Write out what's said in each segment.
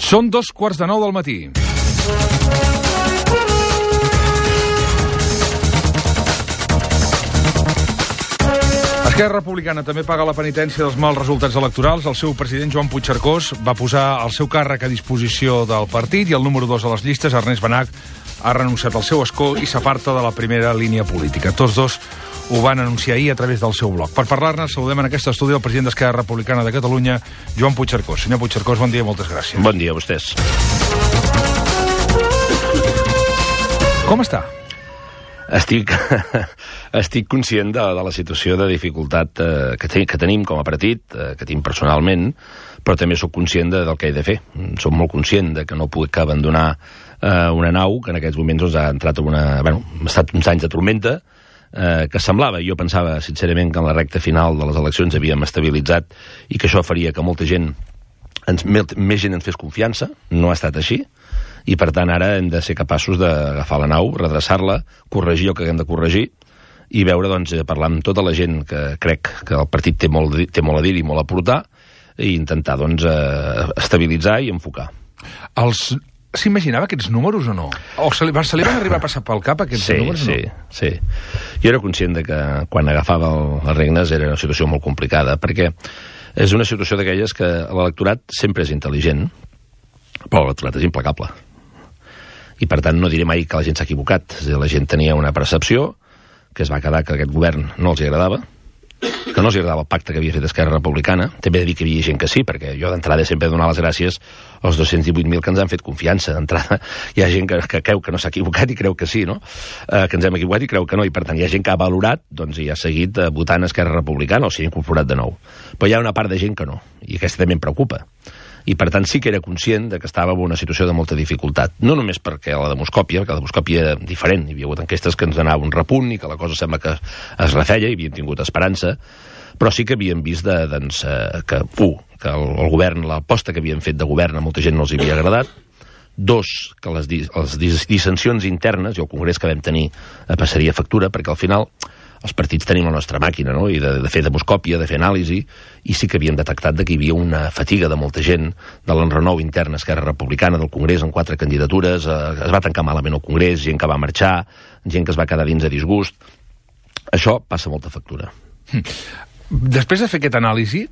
Són 2:45 del matí. Esquerra Republicana també paga la penitència dels mals resultats electorals. El seu president, Joan Puigcercós, va posar el seu càrrec a disposició del partit i el número 2 a les llistes, Ernest Benach, ha renunciat al seu escó i s'aparta de la primera línia política. Tots dos ho van anunciar ahir a través del seu blog. Per parlar-ne, saludem en aquest estudi el president d'Esquerra Republicana de Catalunya, Joan Puigcercós. Senyor Puigcercós, bon dia i moltes gràcies. Bon dia a vostès. Com està? Estic conscient de la situació de dificultat que tenim com a partit, que tinc personalment, però també sóc conscient del que he de fer. Soc molt conscient de que no puc abandonar una nau que en aquests moments ha entrat en ha estat uns anys de tormenta, que semblava, jo pensava sincerament que en la recta final de les eleccions havíem estabilitzat i que això faria que molta gent, més gent ens fes confiança. No ha estat així. I, per tant, ara hem de ser capaços d'agafar la nau, redreçar-la, corregir el que haguem de corregir i veure, doncs, parlar amb tota la gent que crec que el partit té molt a dir i molt a portar i intentar, doncs, estabilitzar i enfocar. S'imaginava aquests números o no? O se li van arribar a passar pel cap aquests números? Sí. Jo era conscient de que quan agafava les regnes era una situació molt complicada, perquè és una situació d'aquelles que l'electorat sempre és intel·ligent, però l'electorat és implacable. I, per tant, no diré mai que la gent s'ha equivocat. La gent tenia una percepció que es va quedar que aquest govern no els agradava, que no els agradava el pacte que havia fet Esquerra Republicana. També he de dir que hi havia gent que sí, perquè jo d'entrada sempre he de donar les gràcies als 218.000 que ens han fet confiança. D'entrada hi ha gent que creu que no s'ha equivocat i creu que sí, no? Que ens hem equivocat i creu que no, i per tant hi ha gent que ha valorat, doncs, i ha seguit votant Esquerra Republicana o s'hi ha incorporat de nou. Però hi ha una part de gent que no, i aquesta també em preocupa. I, per tant, sí que era conscient que estava en una situació de molta dificultat. No només perquè la demoscòpia, perquè la demoscòpia era diferent. Hi havia hagut enquestes que ens donava un repunt i que la cosa sembla que es refeia i havíem tingut esperança, però sí que havíem vist que el govern, l'aposta que havien fet de govern a molta gent no els havia agradat. Dos, que les dissensions internes i el congrés que vam tenir passaria factura, perquè al final els partits tenim la nostra màquina, no? I de fer demoscòpia, de fer anàlisi, i sí que havíem detectat que hi havia una fatiga de molta gent de l'enrenou intern a Esquerra Republicana del Congrés en 4 candidatures, es va tancar malament el Congrés, gent que va marxar, gent que es va quedar dins a disgust. Això passa molta factura. Després de fer aquesta anàlisi,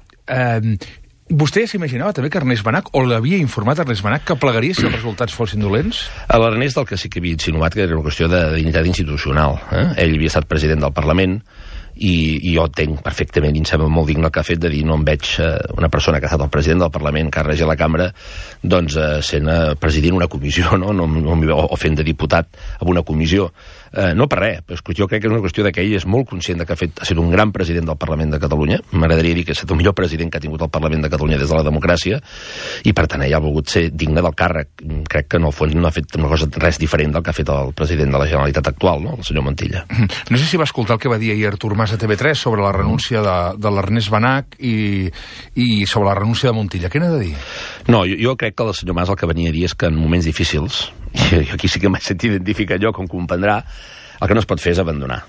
vostè ja s'imaginava també que Ernest Benach, o l'havia informat Ernest Benach, que plegaria si els resultats fossin dolents? A l'Ernest el que sí que havia insinuat que era una qüestió de dignitat institucional. Ell havia estat president del Parlament i jo entenc perfectament, i em sembla molt digne el que ha fet de dir no em veig una persona que ha estat el president del Parlament, que ha regit la cambra, doncs sent president una comissió, no? O fent de diputat en una comissió. No per res, però jo crec que és una qüestió que ell és molt conscient que ha estat un gran president del Parlament de Catalunya. M'agradaria dir que ha estat el millor president que ha tingut el Parlament de Catalunya des de la democràcia, i per tant ell ha volgut ser digne del càrrec. Crec que en el fons no ha fet una cosa res diferent del que ha fet el president de la Generalitat actual, no? El senyor Montilla. No sé si va escoltar el que va dir ahir Artur Mas a TV3 sobre la renúncia de l'Ernest Benach i sobre la renúncia de Montilla. Què n'ha de dir? No, jo crec que el senyor Mas el que venia a dir és que en moments difícils, i aquí sí que m'he sentit identificat jo, com comprendrà, el que no es pot fer és abandonar.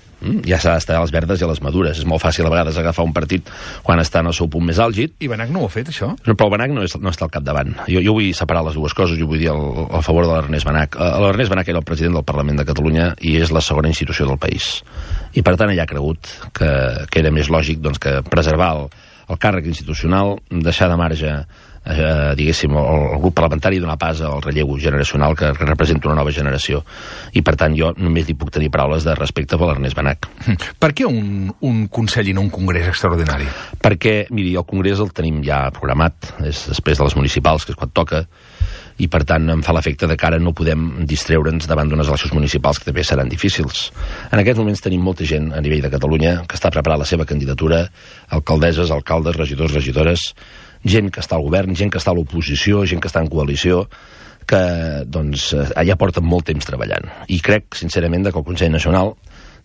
Ja s'ha d'estar a les verdes i a les madures. És molt fàcil a vegades agafar un partit quan està en el seu punt més àlgid. I Benach no ho ha fet, això? Però Benach no està al capdavant. Jo vull separar les dues coses, jo vull dir a favor de l'Ernest Benach. L'Ernest Benach era el president del Parlament de Catalunya i és la segona institució del país. I per tant ell ha cregut que era més lògic que preservar el càrrec institucional, deixar de marge diguéssim, el grup parlamentari, donar pas al relleu generacional que representa una nova generació. I, per tant, jo només li puc tenir paraules de respecte per l'Ernest Benach. Per què un Consell i no un Congrés extraordinari? Perquè, miri, el Congrés el tenim ja programat, és després de les municipals, que és quan toca, i, per tant, em fa l'efecte de que ara no podem distreure'ns davant d'unes eleccions municipals que també seran difícils. En aquests moments tenim molta gent a nivell de Catalunya que està preparant la seva candidatura, alcaldesses, alcaldes, regidors, regidores, gent que està al govern, gent que està a l'oposició, gent que està en coalició, que doncs ja porten molt temps treballant. I crec, sincerament, que el Consell Nacional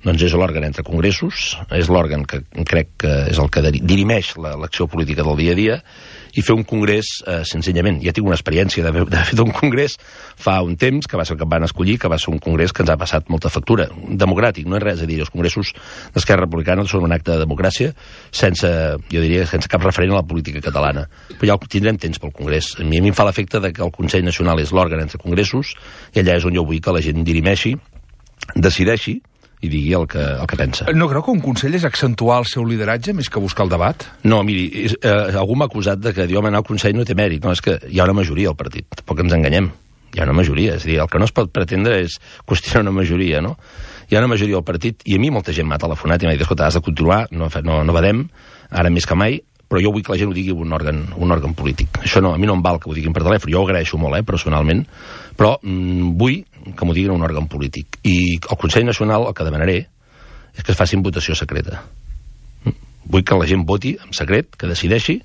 doncs és l'òrgan entre congressos, és l'òrgan que crec que és el que dirimeix l'acció política del dia a dia, i fer un congrés, senzillament, ja tinc una experiència d'haver fet un congrés fa un temps, que va ser el que em van escollir, que va ser un congrés que ens ha passat molta factura. Democràtic, no és res a dir. Els congressos d'Esquerra Republicana són un acte de democràcia sense, jo diria, sense cap referent a la política catalana. Però ja tindrem temps pel congrés. A mi em fa l'efecte que el Consell Nacional és l'òrgan entre congressos, i allà és on jo vull que la gent dirimeixi, decideixi i digui el que pensa. No creu que un Consell és accentuar el seu lideratge més que buscar el debat? No, miri, algú m'ha acusat de que dir, home, anar al Consell no té mèrit. No, és que hi ha una majoria al partit, tampoc ens enganyem. Hi ha una majoria, és a dir, el que no es pot pretendre és qüestionar una majoria, no? Hi ha una majoria al partit, i a mi molta gent m'ha telefonat i m'ha dit, escolta, has de continuar, no badem, ara més que mai, però jo vull que la gent ho digui un òrgan polític. Això no, a mi no em val que ho diguin per telèfon, jo ho agraeixo molt, personalment, però vull que m'ho diguin un òrgan polític. I al Consell Nacional el que demanaré és que es facin votació secreta. Vull que la gent voti en secret, que decideixi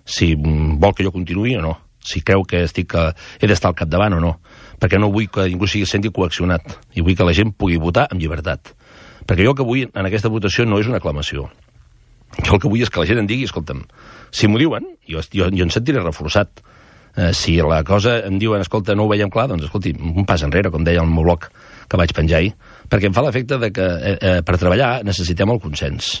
si vol que jo continuï o no, si creu que he d'estar al capdavant o no, perquè no vull que ningú sigui senti coaccionat, i vull que la gent pugui votar amb llibertat. Perquè jo el que vull en aquesta votació no és una aclamació. Jo el que vull és que la gent em digui, escolta'm, si m'ho diuen, jo em sentiré reforçat. Si la cosa em diuen, escolta, no ho veiem clar, doncs, escolti, un pas enrere, com deia el meu blog que vaig penjar ahir, perquè em fa l'efecte de que per treballar necessitem el consens.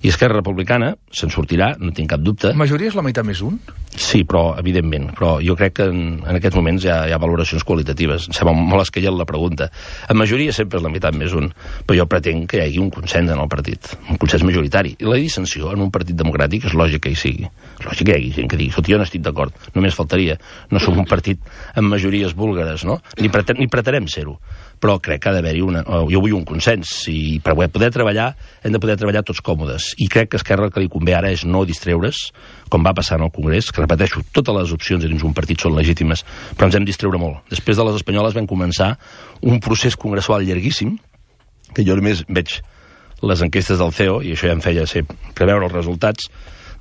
I Esquerra Republicana se'n sortirà, no tinc cap dubte. Majoria és la meitat més un? Sí, però, evidentment. Però jo crec que en aquests moments hi ha valoracions qualitatives. Em sembla molt esquella la pregunta. En majoria sempre és la meitat més un, però jo pretenc que hi hagi un consens en el partit, un consens majoritari. I la dissensió en un partit democràtic és lògic que hi sigui. És lògic que hi hagi gent que digui, escolta, jo no estic d'acord, només faltaria. No som un partit amb majories búlgares, no? Ni pretenem ser-ho. Però crec que ha d'haver-hi jo vull un consens, i per poder treballar hem de poder treballar tots còmodes, i crec que a Esquerra el que li convé ara és no distreure's, com va passar en el Congrés, que repeteixo, totes les opcions dins un partit són legítimes, però ens hem distreure molt. Després de les espanyoles vam començar un procés congressual llarguíssim, que jo només veig les enquestes del CEO, i això ja em feia preveure els resultats.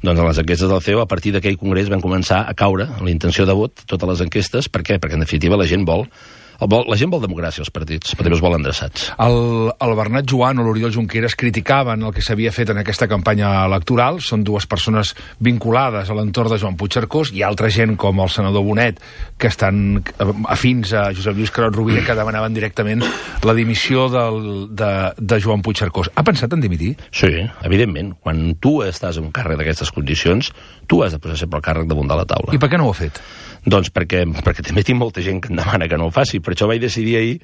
Doncs a les enquestes del CEO, a partir d'aquell congrés van començar a caure la intenció de vot, totes les enquestes. Per què? Perquè en definitiva la gent vol democràcia als partits, però també es vol endreçats. El Bernat Joan o l'Oriol Junqueras criticaven el que s'havia fet en aquesta campanya electoral. Són dues persones vinculades a l'entorn de Joan Puigcercós, i altra gent com el senador Bonet, que estan afins a Josep Lluís Carod Rovira, que demanaven directament la dimissió de Joan Puigcercós. Ha pensat en dimitir? Sí, evidentment. Quan tu estàs en un càrrec d'aquestes condicions, tu has de posar sempre el càrrec damunt de la taula. I per què no ho ha fet? Doncs perquè també tinc molta gent que em demana que no ho faci. Per això vaig decidir ahir,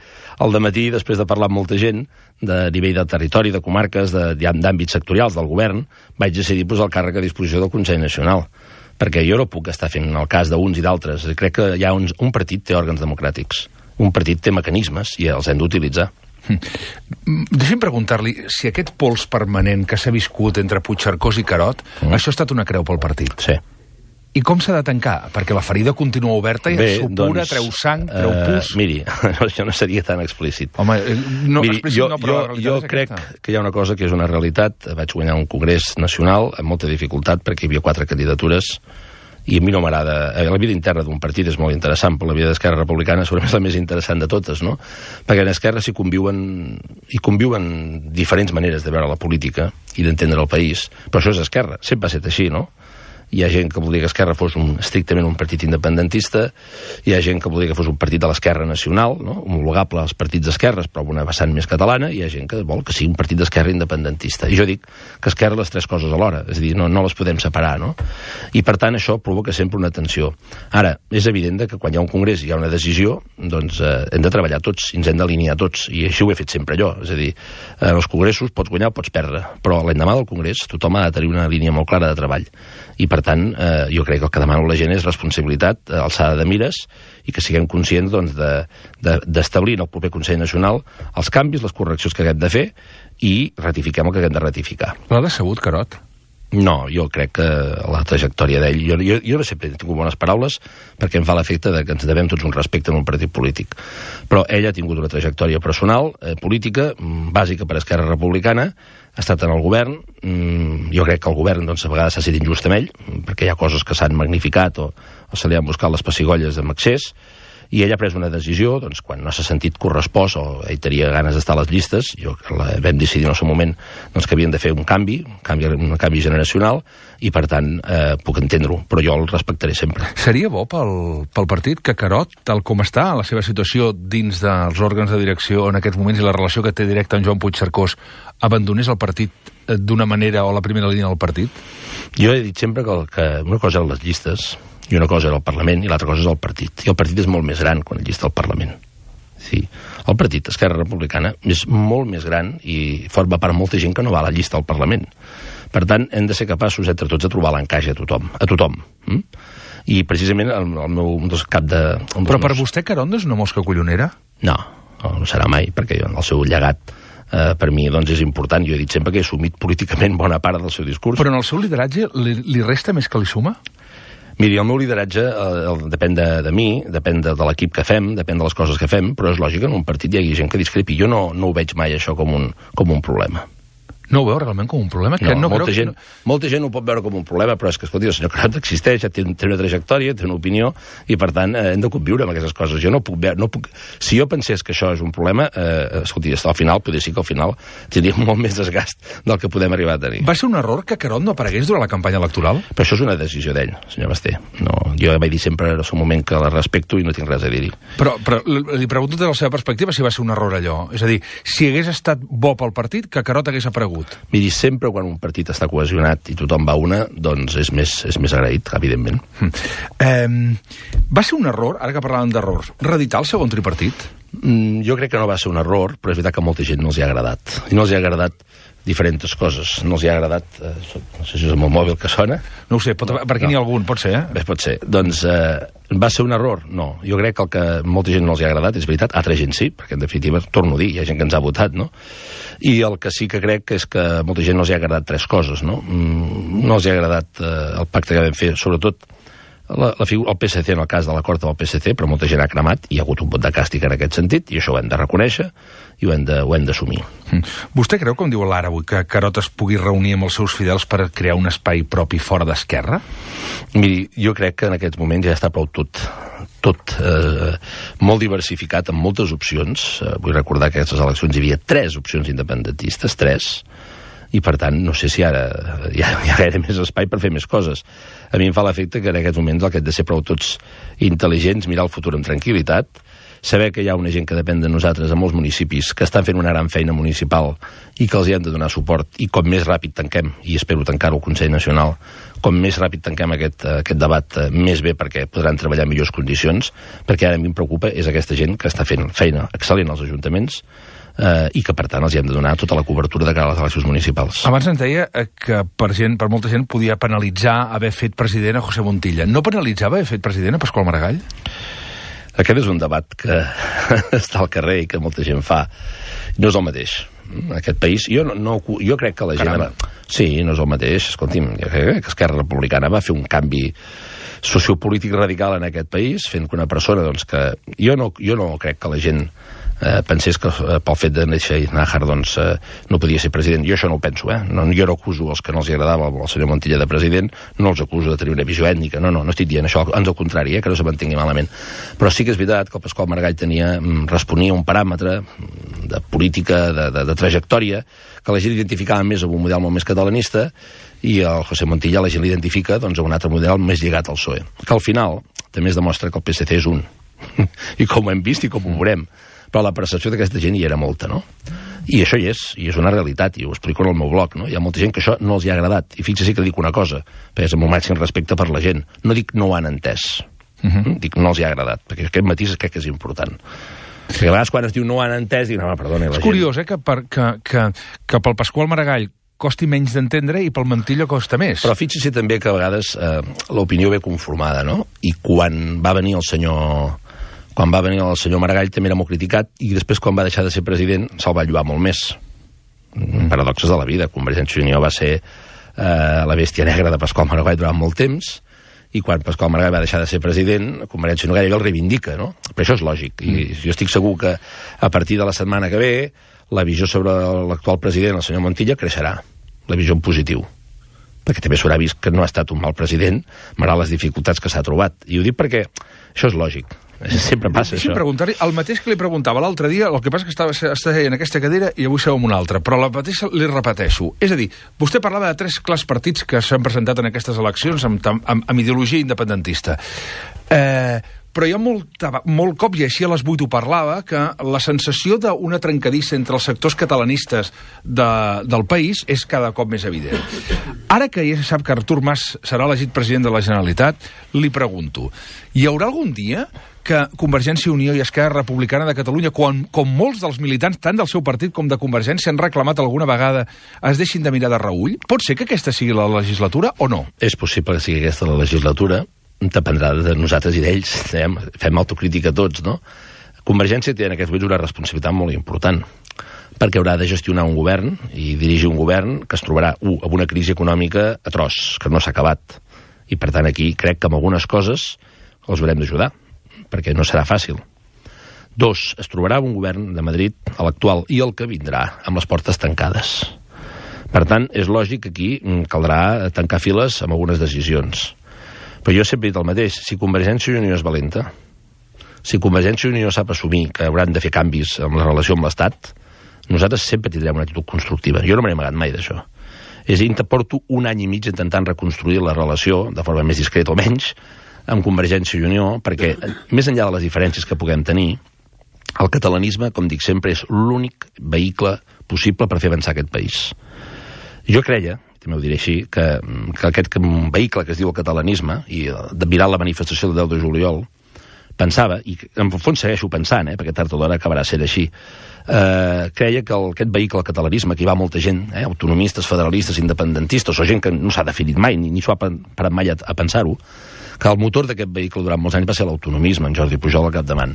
al dematí, després de parlar amb molta gent, de nivell de territori, de comarques, d'àmbits sectorials del govern, vaig decidir posar el càrrec a disposició del Consell Nacional. Perquè jo no puc estar fent el cas d'uns i d'altres. Crec que un partit té òrgans democràtics. Un partit té mecanismes i els hem d'utilitzar. Deixi'm preguntar-li si aquest pols permanent que s'ha viscut entre Puigcercós i Carod, això ha estat una creu pel partit. Sí. I com s'ha de tancar? Perquè la ferida continua oberta i supura, treu sang, treu pus... Miri, això no seria tan explícit. Home, no, miri, jo crec que hi ha una cosa que és una realitat. Vaig guanyar un congrés nacional amb molta dificultat perquè hi havia 4 candidatures i a mi no m'agrada... La vida interna d'un partit és molt interessant, però la vida d'Esquerra Republicana segurament és la més interessant de totes, no? Perquè en Esquerra s'hi conviuen diferents maneres de veure la política i d'entendre el país, però això és Esquerra, sempre ha estat així, no? Hi ha gent que volia que Esquerra fos estrictament un partit independentista, hi ha gent que volia que fos un partit de l'Esquerra nacional, no? Homologable als partits d'esquerres, però amb una vessant més catalana, i hi ha gent que vol que sigui un partit d'esquerra independentista. I jo dic que Esquerra les 3 coses alhora, és a dir, no les podem separar, no? I per tant això provoca sempre una tensió. Ara, és evident que quan hi ha un congrés i hi ha una decisió, doncs hem de treballar tots, i ens hem d'alinear tots, i així ho he fet sempre jo. És a dir, en els congressos pots guanyar o pots perdre, però l'endemà del congrés tothom ha de tenir una línia molt clara de treball. I per tant, jo crec que el que demano a la gent és responsabilitat, alçada de mires, i que siguem conscients d'establir en el proper Consell Nacional els canvis, les correccions que haguem de fer, i ratifiquem el que haguem de ratificar. L'ha decebut, Carod? No, jo crec que la trajectòria d'ell... Jo sempre he tingut bones paraules perquè em fa l'efecte que ens devem tots un respecte en un partit polític. Però ell ha tingut una trajectòria personal, política, bàsica per Esquerra Republicana, ha estat en el govern. Jo crec que el govern a vegades s'ha estat injust amb ell, perquè hi ha coses que s'han magnificat o se li han buscat les pessigolles amb excés. I ell ha pres una decisió, doncs, quan no s'ha sentit correspost o ell tenia ganes d'estar a les llistes, vam decidir en el seu moment doncs, que havien de fer un canvi generacional, i per tant puc entendre-ho, però jo el respectaré sempre. Seria bo pel partit que Carod, tal com està, en la seva situació dins dels òrgans de direcció en aquests moments i la relació que té directa amb Joan Puigcercós, abandonés el partit d'una manera o la primera línia del partit? Jo he dit sempre que una cosa eren les llistes, i una cosa era el Parlament i l'altra cosa és el partit. I el partit és molt més gran quan el llista el Parlament. Sí. El partit, Esquerra Republicana, és molt més gran i forma part molta gent que no va a la llista al Parlament. Per tant, hem de ser capaços entre tots de trobar l'encaix a tothom. I precisament el meu cap de... Però per vostè Carondo és una mosca collonera? No serà mai, perquè el seu llegat per mi doncs, és important. Jo he dit sempre que he assumit políticament bona part del seu discurs. Però en el seu lideratge li resta més que li suma? Miri, el meu lideratge depèn de mi, depèn de l'equip que fem, depèn de les coses que fem, però és lògic que en un partit hi hagi gent que discrepi. Jo no ho veig mai, això, com un problema. No ho veu realment com un problema? Molta gent ho pot veure com un problema, però és que, escolti, el senyor Carod existeix, té una trajectòria, té una opinió, i per tant hem de conviure amb aquestes coses. Jo no puc... Si jo pensés que això és un problema, escolti, al final, podria ser que al final tindríem molt més desgast del que podem arribar a tenir. Va ser un error que Carod no aparegués durant la campanya electoral? Però això és una decisió d'ell, senyor Basté. Jo vaig dir sempre en el seu moment que la respecto i no tinc res a dir-hi. Però li pregunto des de la seva perspectiva si va ser un error allò. És a dir, si hagués estat bo pel partit, que Carod hagués aparegut. Miri, sempre quan un partit està cohesionat i tothom va a una, doncs és més agraït, evidentment. Va ser un error, ara que parlàvem d'errors, reeditar el segon tripartit? Jo crec que no va ser un error, però és veritat que a molta gent no els hi ha agradat. I no els hi ha agradat diferents coses. No els hi ha agradat... no sé si és el meu mòbil que sona. No ho sé, per aquí n'hi ha algun, pot ser, Bé, pot ser. Doncs va ser un error? No. Jo crec que el que molta gent no els hi ha agradat, és veritat, altra gent sí, perquè en definitiva, torno a dir, hi ha gent que ens ha votat, no? I el que sí que crec és que a molta gent no els hi ha agradat tres coses, no? No els hi ha agradat el pacte que vam fer, sobretot el PSC, en el cas de l'acord amb el PSC, però molta gent ha cremat i hi ha hagut un vot de càstig en aquest sentit, i això ho hem de reconèixer i ho hem d'assumir. Vostè creu, com diu l'Ara avui, que Carod es pugui reunir amb els seus fidels per crear un espai propi fora d'Esquerra? Miri, jo crec que en aquests moments ja està prou tot molt diversificat, amb moltes opcions. Vull recordar que a aquestes eleccions hi havia 3 opcions independentistes, 3, i per tant no sé si ara hi ha gaire més espai per fer més coses. A mi em fa l'efecte que en aquests moments el que hem de ser prou tots intel·ligents, mirar el futur amb tranquil·litat, saber que hi ha una gent que depèn de nosaltres a molts municipis que estan fent una gran feina municipal i que els hi hem de donar suport, i com més ràpid tanquem, i espero tancar-ho al Consell Nacional, com més ràpid tanquem aquest debat, més bé, perquè podran treballar en millors condicions, perquè ara a mi em preocupa és aquesta gent que està fent feina excel·lent als ajuntaments, i que, per tant, els hi hem de donar tota la cobertura de cara a les eleccions municipals. Abans ens deia que per molta gent podia penalitzar haver fet president a José Montilla. No penalitzava haver fet president a Pasqual Maragall? Aquest és un debat que està al carrer i que molta gent fa. No és el mateix. Aquest país... Jo crec que la gent... Sí, no és el mateix. Escolti'm, jo crec que Esquerra Republicana va fer un canvi sociopolític radical en aquest país, fent que una persona, doncs, que... Jo no crec que la gent pensés que pel fet de néixer i Nájar doncs, no podia ser president. Jo això no ho penso, jo no acuso els que no els agradava el senyor Montilla de president, no els acuso de tenir una visió ètnica, no estic dient això, ans al contrari, que no se mantingui malament. Però sí que és veritat que el Pasqual Maragall responia a un paràmetre de política, de trajectòria, que la gent identificava més amb un model molt més catalanista, i el José Montilla la gent l'identifica doncs, amb un altre model més lligat al PSOE, que al final també es demostra que el PSC és un, i com ho hem vist i com ho veurem, però la percepció d'aquesta gent hi era molta, no? I això hi és una realitat, i ho explico en el meu blog, no? Hi ha molta gent que això no els hi ha agradat, i fixi que dic una cosa, perquè és amb el màxim respecte per la gent, no dic no ho han entès, dic no els hi ha agradat, perquè aquest matís crec que és important. Perquè a vegades quan es diu no ho han entès, dic, no, perdoni, la gent... És curiós, que pel Pasqual Maragall costi menys d'entendre i pel Montilla costa més. Però fixi també que a vegades l'opinió ve conformada, no? I quan va venir el senyor Maragall també era molt criticat, i després quan va deixar de ser president se'l va lloar molt més. Paradoxes de la vida. Convergència i Unió va ser la bèstia negra de Pasqual Maragall durant molt temps, i quan Pasqual Maragall va deixar de ser president, Convergència i Unió gairebé el reivindica, no? Però això és lògic, i jo estic segur que a partir de la setmana que ve la visió sobre l'actual president, el senyor Montilla, creixerà, la visió en positiu, perquè també s'haurà vist que no ha estat un mal president malgrat les dificultats que s'ha trobat. I ho dic perquè això és lògic. Sempre passa això. Preguntar-li el mateix que li preguntava l'altre dia, el que passa que estava en aquesta cadira i avui seu en una altra, però la mateixa li repeteixo. És a dir, vostè parlava de 3 clars partits que s'han presentat en aquestes eleccions amb ideologia independentista. Però hi ha molt cop, i així a les 8 ho parlava, que la sensació d'una trencadissa entre els sectors catalanistes del país és cada cop més evident. Ara que ja se sap que Artur Mas serà elegit president de la Generalitat, li pregunto, hi haurà algun dia que Convergència i Unió i Esquerra Republicana de Catalunya, com molts dels militants, tant del seu partit com de Convergència, han reclamat alguna vegada, es deixin de mirar de reüll? Pot ser que aquesta sigui la legislatura o no? És possible que sigui aquesta la legislatura, dependrà de nosaltres i d'ells, fem autocrítica tots, no? Convergència té en aquests moments una responsabilitat molt important, perquè haurà de gestionar un govern i dirigir un govern que es trobarà, amb una crisi econòmica atroç, que no s'ha acabat. I, per tant, aquí crec que amb algunes coses els haurem d'ajudar, perquè no serà fàcil. 2, es trobarà un govern de Madrid, l'actual i el que vindrà, amb les portes tancades. Per tant, és lògic que aquí caldrà tancar files amb algunes decisions. Però jo sempre he dit el mateix, si Convergència i Unió és valenta, si Convergència i Unió sap assumir que hauran de fer canvis en la relació amb l'Estat, nosaltres sempre tindrem una actitud constructiva. Jo no me n'he amagat mai d'això. És a dir, porto 1 any i mig intentant reconstruir la relació, de forma més discreta o menys, amb Convergència i Unió, perquè, més enllà de les diferències que puguem tenir, el catalanisme, com dic sempre, és l'únic vehicle possible per fer avançar aquest país. Jo creia, també ho diré així, que aquest vehicle que es diu el catalanisme, i mirant la manifestació del 10 de juliol, pensava, i en el fons segueixo pensant, perquè tard o d'hora acabarà sent així, creia que aquest vehicle, el catalanisme, que hi va molta gent, autonomistes, federalistes, independentistes, o gent que no s'ha definit mai, ni s'ho ha parat mai a pensar-ho, que el motor d'aquest vehicle durant molts anys va ser l'autonomisme, en Jordi Pujol al capdavant.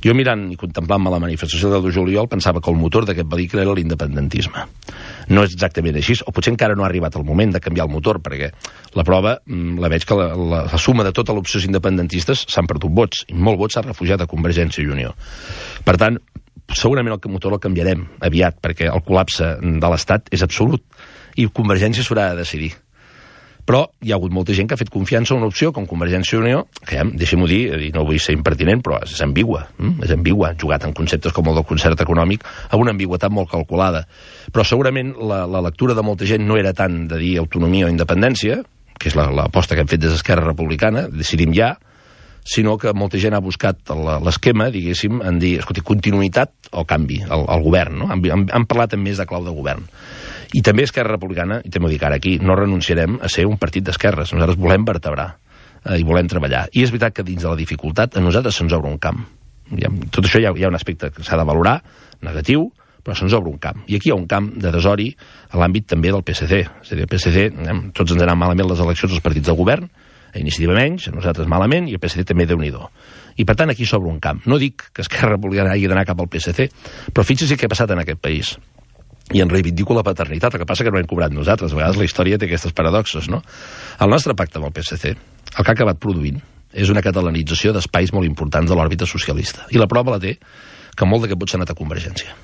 Jo mirant i contemplant-me la manifestació del 10 de juliol pensava que el motor d'aquest vehicle era l'independentisme. No és exactament així, o potser encara no ha arribat el moment de canviar el motor, perquè la prova la veig que la suma de totes les opcions independentistes s'han perdut vots, i molt vots s'ha refugiat a Convergència i Unió. Per tant, segurament el motor el canviarem aviat, perquè el col·lapse de l'Estat és absolut, i Convergència s'haurà de decidir. Però hi ha hagut molta gent que ha fet confiança en una opció com Convergència i Unió, que, deixem-ho dir, i no vull ser impertinent, però és ambigua. És ambigua, jugat en conceptes com el del concert econòmic, amb una ambigüitat molt calculada. Però segurament la lectura de molta gent no era tant de dir autonomia o independència, que és l'aposta que hem fet des d'Esquerra Republicana, decidim ja, sinó que molta gent ha buscat l'esquema, diguéssim, en dir, escolti, continuïtat o canvi, el govern, no? Han parlat en més de clau de govern. I també Esquerra Republicana, i també ho dic ara aquí, no renunciarem a ser un partit d'esquerres. Nosaltres volem vertebrar i volem treballar. I és veritat que dins de la dificultat a nosaltres se'ns obre un camp. Tot això hi ha un aspecte que s'ha de valorar, negatiu, però se'ns obre un camp. I aquí hi ha un camp de desori a l'àmbit també del PSC. És a dir, el PSC, tots ens anem malament les eleccions dels partits del govern, a Iniciativa menys, a nosaltres malament, i el PSC també Déu-n'hi-do. I per tant aquí s'obre un camp. No dic que Esquerra Republicana hagi d'anar cap al PSC, però fixi-s'hi què ha passat en aquest país. I en reivindico la paternitat, el que passa que no hem cobrat nosaltres. A vegades la història té aquestes paradoxes, no? El nostre pacte amb el PSC, el que ha acabat produint, és una catalanització d'espais molt importants de l'òrbita socialista. I la prova la té que molt d'aquest vot s'ha anat a Convergència.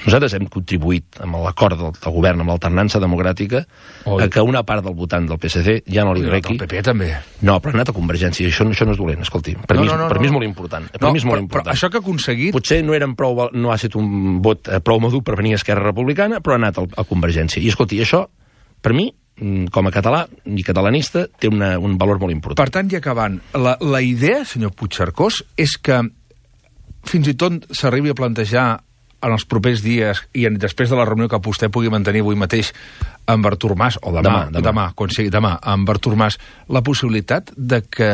Nosaltres hem contribuït amb l'acord del govern, amb l'alternança democràtica, a que una part del votant del PSC ja no li requi. El PP també. No, però ha anat a Convergència, i això no és dolent, escolti. Per mi és molt important. Però això que ha aconseguit... Potser no ha estat un vot prou madur per venir a Esquerra Republicana, però ha anat a Convergència. I escolti, això, per mi, com a català i catalanista, té un valor molt important. Per tant, i acabant, la idea, senyor Puigcercós, és que fins i tot s'arribi a plantejar en els propers dies i després de la reunió que vostè pugui mantenir avui mateix amb Artur Mas, o demà, quan sigui demà, amb Artur Mas, la possibilitat de que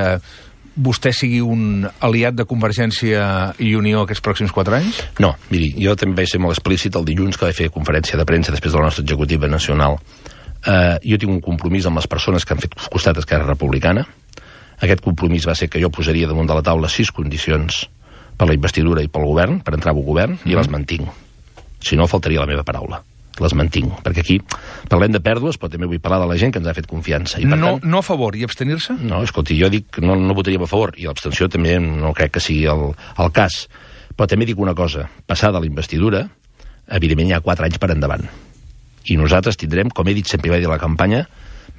vostè sigui un aliat de Convergència i Unió aquests pròxims 4 anys? No, miri, jo també vaig ser molt explícit el dilluns que vaig fer conferència de premsa després de la nostra executiva nacional. Jo tinc un compromís amb les persones que han fet costat a Esquerra Republicana. Aquest compromís va ser que jo posaria damunt de la taula 6 condicions per la investidura i pel govern, per entrar al govern, i les mantinc. Si no, faltaria la meva paraula. Les mantinc, perquè aquí parlem de pèrdues, però també vull parlar de la gent que ens ha fet confiança. I, per tant, no a favor i abstenir-se? No, escolti, jo dic que no votaríem a favor, i l'abstenció també no crec que sigui el cas. Però també dic una cosa, passada la investidura, evidentment hi ha 4 anys per endavant. I nosaltres tindrem, com he dit sempre i vaig dir a la campanya,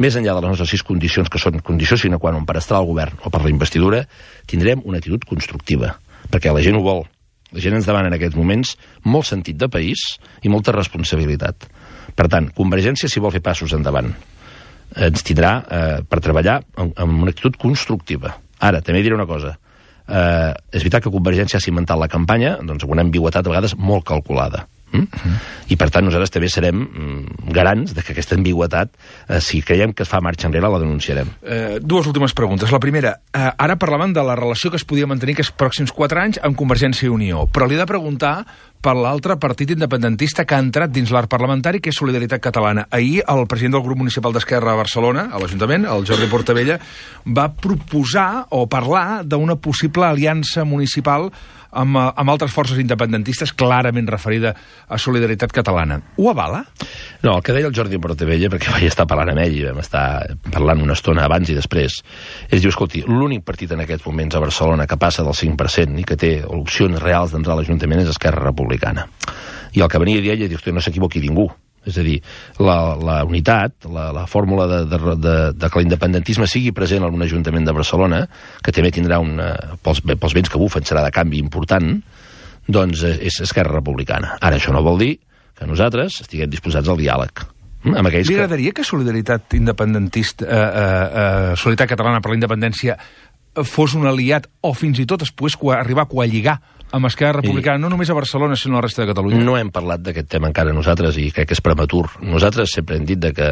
més enllà de les nostres 6 condicions, que són condició sine qua non per estar al govern o per la investidura, tindrem una actitud constructiva, perquè la gent ho vol. La gent ens demana en aquests moments molt sentit de país i molta responsabilitat. Per tant, Convergència, si vol fer passos endavant, ens tindrà per treballar amb una actitud constructiva. Ara, també diré una cosa. És veritat que Convergència ha cimentat la campanya doncs, amb una ambigüetat a vegades molt calculada. I per tant nosaltres també serem garants de que aquesta ambigüetat, si creiem que es fa marxa enrere, la denunciarem. Dues últimes preguntes. La primera, ara parlaven de la relació que es podia mantenir aquests pròxims 4 anys amb Convergència i Unió, però li he de preguntar per l'altre partit independentista que ha entrat dins l'arc parlamentari, que és Solidaritat Catalana. Ahir el president del grup municipal d'Esquerra a Barcelona, a l'Ajuntament, el Jordi Portabella, va proposar o parlar d'una possible aliança municipal amb altres forces independentistes, clarament referida a Solidaritat Catalana. Ho avala? No, el que deia el Jordi Portabella, perquè vaig estar parlant amb ell i vam estar parlant una estona abans i després, és dir, escolti, l'únic partit en aquests moments a Barcelona que passa del 5% i que té opcions reals d'entrar a l'Ajuntament és Esquerra Republicana. I el que venia a dir ell és dir, no s'equivoqui ningú. És a dir, la unitat, la fórmula de que l'independentisme sigui present en un Ajuntament de Barcelona, que també tindrà pels vents que bufen serà de canvi important, doncs és Esquerra Republicana. Ara, això no vol dir que nosaltres estiguem disposats al diàleg. Li agradaria que Solidaritat Catalana per la Independència fos un aliat o fins i tot es pogués arribar a coalligar amb Esquerra Republicana, no només a Barcelona, sinó a la resta de Catalunya? No hem parlat d'aquest tema encara nosaltres i crec que és prematur. Nosaltres sempre hem dit que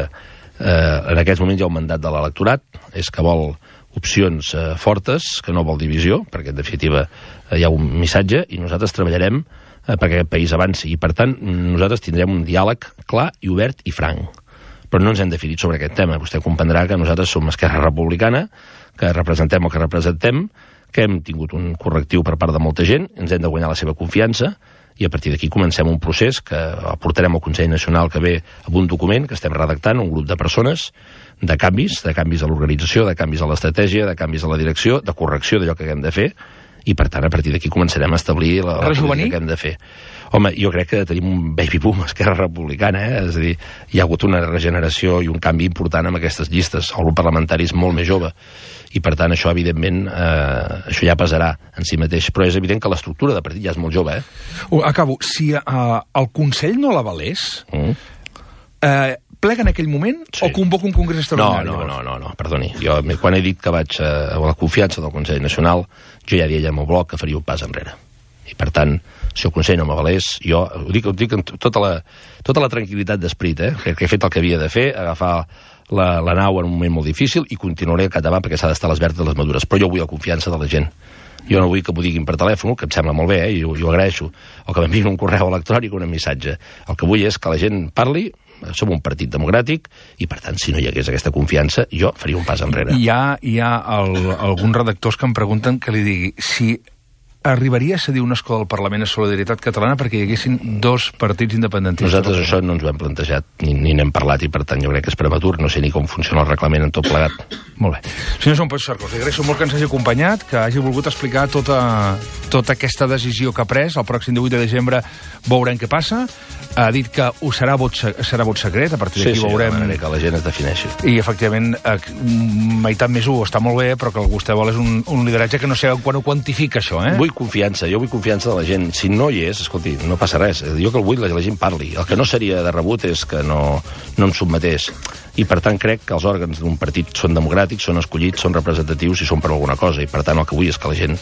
en aquests moments hi ha un mandat de l'electorat, és que vol opcions fortes, que no vol divisió, perquè en definitiva hi ha un missatge, i nosaltres treballarem perquè aquest país avanci. I per tant, nosaltres tindrem un diàleg clar i obert i franc. Però no ens hem definit sobre aquest tema. Vostè comprendrà que nosaltres som Esquerra Republicana, que representem el que representem, que hem tingut un correctiu per part de molta gent, ens hem de guanyar la seva confiança, i a partir d'aquí comencem un procés que portarem al Consell Nacional que ve amb un document que estem redactant, un grup de persones, de canvis a l'organització, de canvis a l'estratègia, de canvis a la direcció, de correcció d'allò que haguem de fer, i per tant a partir d'aquí començarem a establir la política que hem de fer. Home, jo crec que tenim un baby boom a Esquerra Republicana, és a dir, hi ha hagut una regeneració i un canvi important amb aquestes llistes. El grup parlamentari és molt més jove, i per tant això, evidentment, això ja pesarà en si mateix. Però és evident que l'estructura de partit ja és molt jove, Acabo. Si el Consell no l'avalés, plega en aquell moment o convoca un congrés extraordinari? No, perdoni. Jo, quan he dit que vaig a la confiança del Consell Nacional, jo ja deia al meu bloc que faria un pas enrere. I per tant, si el Consell no m'avalés, jo ho dic amb tota la tranquil·litat d'esperit, que he fet el que havia de fer, agafar la nau en un moment molt difícil i continuaré cap davant perquè s'ha d'estar a les verdes de les madures. Però jo vull la confiança de la gent. Jo no vull que m'ho diguin per telèfon, que em sembla molt bé, i ho agraeixo, o que m'enviïn un correu electrònic o un missatge. El que vull és que la gent parli, som un partit democràtic, i per tant, si no hi hagués aquesta confiança, jo faria un pas enrere. Hi ha alguns redactors que em pregunten que li digui si arribaria a cedir un escó del Parlament a Solidaritat Catalana perquè hi haguessin 2 partits independentistes? Nosaltres això no ens ho hem plantejat, ni n'hem parlat, i per tant jo crec que és prematur, no sé ni com funciona el reglament en tot plegat. Molt bé. Senyor Joan Puigcercós, li agraeixo molt que ens hagi acompanyat, que hagi volgut explicar tota aquesta decisió que ha pres. El pròxim 18 de desembre veurem què passa. Ha dit que serà vot secret, a partir d'aquí veurem... Sí, que la gent es defineixi. I, efectivament, meitat més 1 està molt bé, però que el que vostè vol és un lideratge que no sé quan ho quantifica, això, Vull confiança, jo vull confiança de la gent. Si no hi és, escolti, no passa res. Jo que el vull, la gent parli. El que no seria de rebut és que no em sotmetés. I, per tant, crec que els òrgans d'un partit són democràtics, són escollits, són representatius i són per alguna cosa. I, per tant, el que vull és que la gent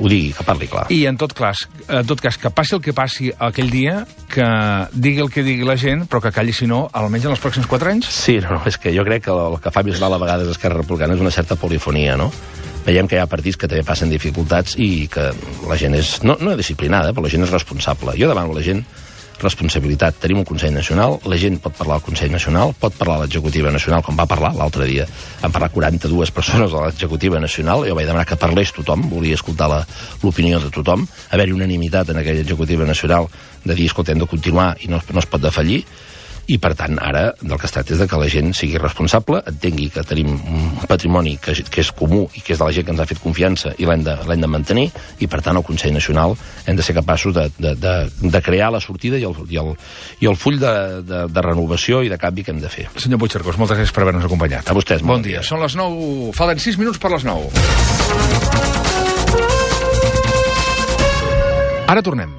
ho digui, que parli clar. I, en tot cas, que passi el que passi aquell dia, que digui el que digui la gent, però que calli, si no, almenys en els pròxims 4 anys? Sí, és que jo crec que el que fa més mal a vegades Esquerra Republicana és una certa polifonia, no? Veiem que hi ha partits que també passen dificultats i que la gent és, no disciplinada, però la gent és responsable. Jo demano a la gent responsabilitat. Tenim un Consell Nacional, la gent pot parlar al Consell Nacional, pot parlar a l'Executiva Nacional, com va parlar l'altre dia. Van parlar 42 persones a l'Executiva Nacional, jo vaig demanar que parlés tothom, volia escoltar l'opinió de tothom, haver-hi unanimitat en aquella Executiva Nacional de dir, escolta, hem de continuar i no es pot defallir. I, per tant, ara del que es tracta és de que la gent sigui responsable, entengui que tenim un patrimoni que és comú i que és de la gent que ens ha fet confiança i l'hem de mantenir, i, per tant, al Consell Nacional hem de ser capaços de crear la sortida i el full de renovació i de canvi que hem de fer. Senyor Puigcercós, moltes gràcies per haver-nos acompanyat. A vostès. Bon dia. Són les 9, falten 6 minuts per les 9. Ara tornem.